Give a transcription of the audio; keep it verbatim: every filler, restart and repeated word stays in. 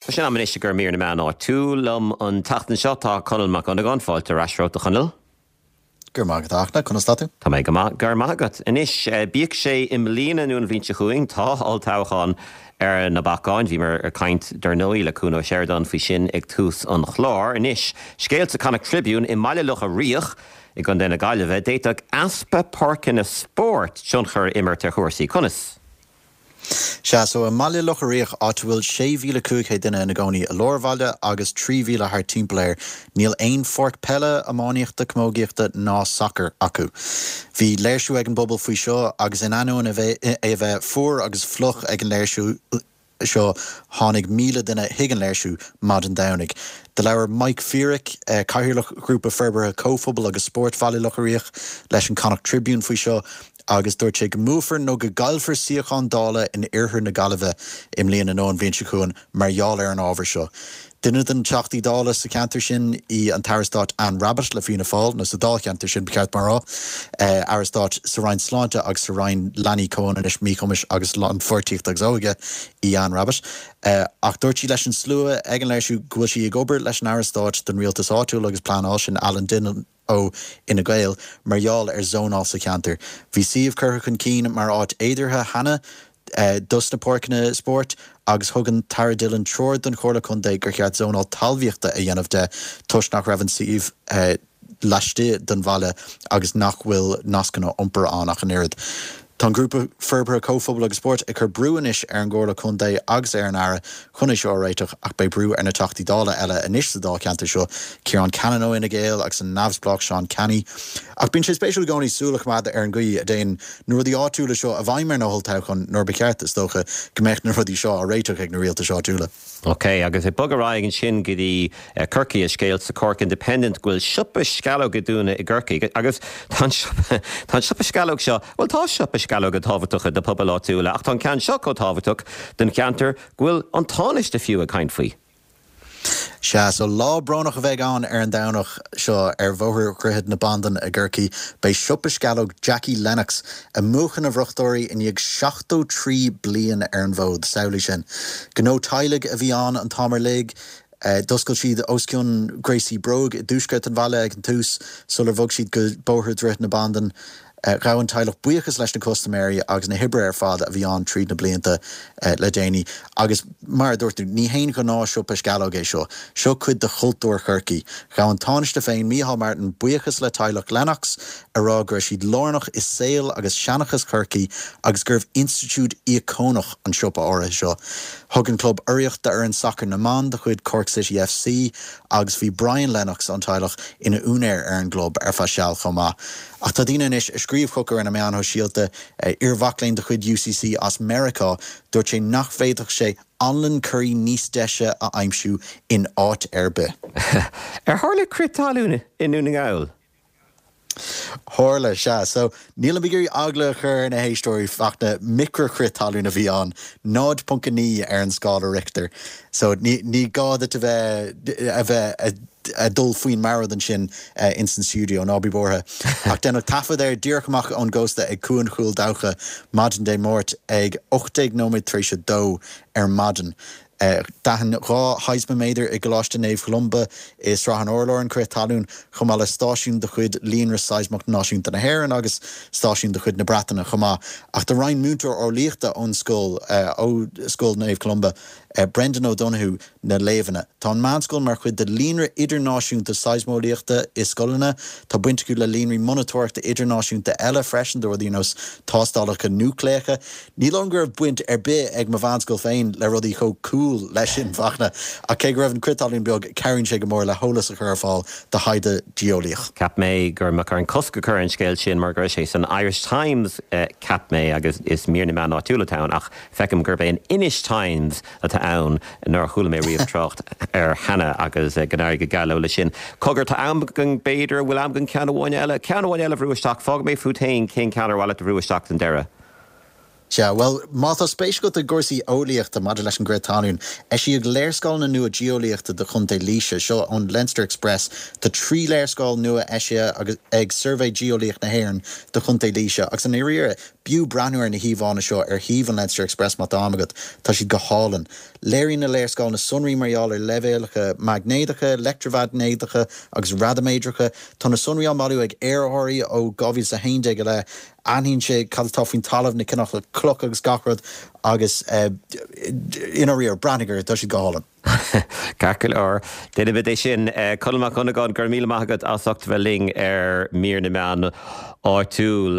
Tá sé in am anois do mhír na meán áitiúil liom an tseachtain seo tá Conall Mac Dhonnagáin fáilte ar ais romhat a Chonaill. Gur maith agat conas tá tú? Tá mé go maith gur maith agat. Anois bíodh sé i mbliana nó an bhliain seo chugainn tá olltoghchán ar na bacáin, bhíomar ag caint dar ndóigh le Cuan Ó Seireadáin faoi sin ag tús an chláir. Anois scéal sa Connacht Tribune i mBaile Locha Riach i gContae na Gaillimhe, d'fhéadfadh easpa páirceanna spóirt tionchar a imirt ar chúrsaí conas. Sea so i mBaile Locha Riach áit a bhfuil sé mhíle cúig chéad duine ina gcónaí i lár bhaile agus trí mhíle thart timpeall air, níl aon pháirc peile, iománaíochta, camógaíochta ná sacair acu. Bhí léirsiú ag an bpobal faoi seo agus in ainneoin é a bheith fuar agus fliuch ag an léirsiú seo tháinig míle duine chuig an léirsiú maidin Domhnaigh. Do labhair Mike Feerick, cathaoirleach Ghrúpa Forbartha Comhphobail agus Spóirt Bhaile Locha Riach leis an Connacht Tribune faoi seo agus dúirt sé go mbuafar nó go gcaillfear suíochán Dála in oirthear na Gaillimhe i mbliana nó an bhliain seo chugainn mar gheall ar an ábhar seo. Duine de na Teachtaí Dála sa cheantar sin í an tAire Stáit Anne Rabbitte le Fianna Fáil nó sa Dáilcheantar sin ba cheart mar rá, Aire Stáit sa Roinn Sláinte agus sa Roinn Leanaí Comhionannais Míchumais agus Lánpháirtíochta agus Óige í Anne Rabbitte. Ach dúirt sí leis an slua ag an léirsiú go bhfuil sí ag obair leis an Aire Stáit don Rialtas Áitiúil agus Pleanáil sin Alan Dillon ó Fhine Gael mar gheall ar zónáil sa cheantar. Bhí suíomh curtha chun cinn mar áit fhéideartha cheana dos na páirceanna spóirt agus thug an tAire Dillon treoir don Chomhairle Contae gur cheart zónáil talmhaíochta a dhéanamh de toisc nach raibh an suíomh laistigh den bhaile agus nach bhfuil nascanna iompair ann ach an oiread. Tá an grúpa forbartha comhphobail agus spóirt ag cur brú anois ar an gComhairle Contae agus ar an Aire chun é seo a réiteach ach beidh brú ar na Teachtaí Dála eile anois sa Dáilcheantar seo, Ciarán Cannon ó Fhine Gael agus an neamhspleách Seán Canney. Ach bíonn sé spéisiúil i gcónaí súil a choimeád ar an gcaoi a dtéann na rudaí áitiúla seo i bhfeidhm ar na holltoghcháin nuair ba cheart is dócha go mbeadh na rudaí seo á réiteach ag na rialtais áitiúla. Ok, agus ag bogadh ar aghaidh ansin go dtí Corcaigh is scéal sa Cork Independent go bhfuil siopa sceallóg ag dúnadh i gCorcaigh agus tá an siopa sceallóg seo, bhuel tá siopa sceallóga tábhachtach do phobail áitiúla ach tá an ceann seo chomh tábhachtach don cheantar go bhfuil an Tánaiste fiú ag caint faoi. Sea, so lá brónach a bheidh ann ar an Domhnach seo ar Bhóthar Dhroichead na Bandan i gCorcaigh. Beidh siopa sceallóg Jackie Lennox ag múchadh na bhfriochtóirí i ndiaidh seachtó trí bliain ar an bhfód. Samhlaigh sin. Gnó teaghlaigh a bhí ann an t-am uilig. D'oscail siad os cionn gréasaí bróg i dtuaisceart an bhaile ag an tús sular bhog siad go Bóthar Dhroichead na Bandan. Ghabh an teaghlach buíochas leis na custaiméirí agus na hoibrithe ar fad a bhí ann tríd na blianta le déanaí. Agus mar a dúirt tú, ní haon ghnáthshiopa sceallóg é seo. Seo cuid de chultúr Chorcaí. Ghabh an Tánaiste féin, Micheál Martin, buíochas le teaghlach Lennox, a rá go raibh siad lárnach i saol agus seanchas Chorcaí agus gurbh institiúid íocónach an siopa áirithe seo. Thug an club urraíocht d'fhoireann sacair na mban de chuid Cork City FC agus bhí Brian Lennox ón teaghlach ina úinéir ar an gclub ar feadh seal chomh maith. Ach tá daoine anois ag scríobh chucu ar na meáin shóisialta, iar-mhac léinn de chuid UCC as Meiriceá, dúirt sé nach bhféadfadh sé anlann curaí níos deise a aimsiú in áit ar bith. Ar tharla crith talún i nDún na nGall? Tharla, sea. So, nílim ag iarraidh eagla a chur ar na héisteoirí, Fachtna, micreachrith talún a bhí ann, náid ponc a naoi ar an scála Richter. So, ní, ní gá duit a bheith, a bheith ag dul faoin mbord ansin ins an stiúideo, ná bí buartha. Ach deineadh taifead air díreach amach ón gcósta ag Cuan Chúil Dabhcha maidin Dé Máirt ag ocht déag nóiméad tar éis a dó ar maidin. D'aithin dhá sheismiméadar i gColáiste Naomh Cholumba i Srath an Urláir an crith talún, chomh maith le stáisiún de chuid Líonra Seismeach Náisiúnta na hÉireann agus stáisiún de chuid na Breataine chomh maith. Ach do roinn múinteoir eolaíochta ón scoil, ó Scoil Naomh Columba, Brendan O'Donoghue, na léamhanna. Tá an mheánscoil mar chuid de líonra idirnáisiúnta seismeolaíochta i scoileanna. Tá baint acu le líonraí monatóireachta idirnáisiúnta eile freisin do rudaí ar nós tástálacha núicléacha. Ní dóigh liom go raibh baint ar bith ag mo mheánscoil féin le rudaí chomh cool leis sin, Fachtna, ach cé go raibh an crith talún beag, cabhraíonn sé go mór le heolas a chur ar fáil do thaighde geolaíoch. Cheap mé go mbeadh orainn cosc a chur ar an scéal sin mar go raibh sé san Irish Times, cheap mé, agus is mír na meán áitiúil atá ann, ach feicim gurb é an Inish Times atá ann nár chuala mé riamh trácht air cheana agus go n-éirí go geal leo leis sin. Cogar, tá am againn, b'fhéidir, an bhfuil am againn ceann amháin eile, ceann amháin eile a bhrú isteach, fágfaidh mé fút féin cén ceann ar mhaith leat a bhrú isteach don deireadh. Sea, bhuel, má tá spéis agat i gcúrsaí eolaíochta maidir leis an gcrith talún, eisíodh léarscáileanna nua geolaíochta do Chontae Laoise, seo ón Leinster Express. Tá trí léarscáil nua eisithe ag Suirbhé Geolaíoch na hÉireann do Chontae Laoise agus i ndáiríre, B'fhiú breathnú ar na híomhánna seo ar shuíomh an Leinster Express má tá am agat, tá siad go hálainn. Léiríonn na léarscáileanna sonraí mar gheall ar leibhéalacha maighnéadacha, leictreamhaighnéadacha agus radaiméadracha. Tá na sonraí á mbailiú ag aerárthaí ó dhá mhíle is a haon déag i leith. Aithníonn sé cad atá faoin talamh, na cineálacha cloch agus gach rud agus i ndáiríre, breathnaigh orthu, tá siad go hálainn. Ceart go leor. Déanfaimid é sin. Conall Mac Dhonnagáin, go raibh míle maith agat as ucht bheith linn ar Mír na Meán Áitiúil.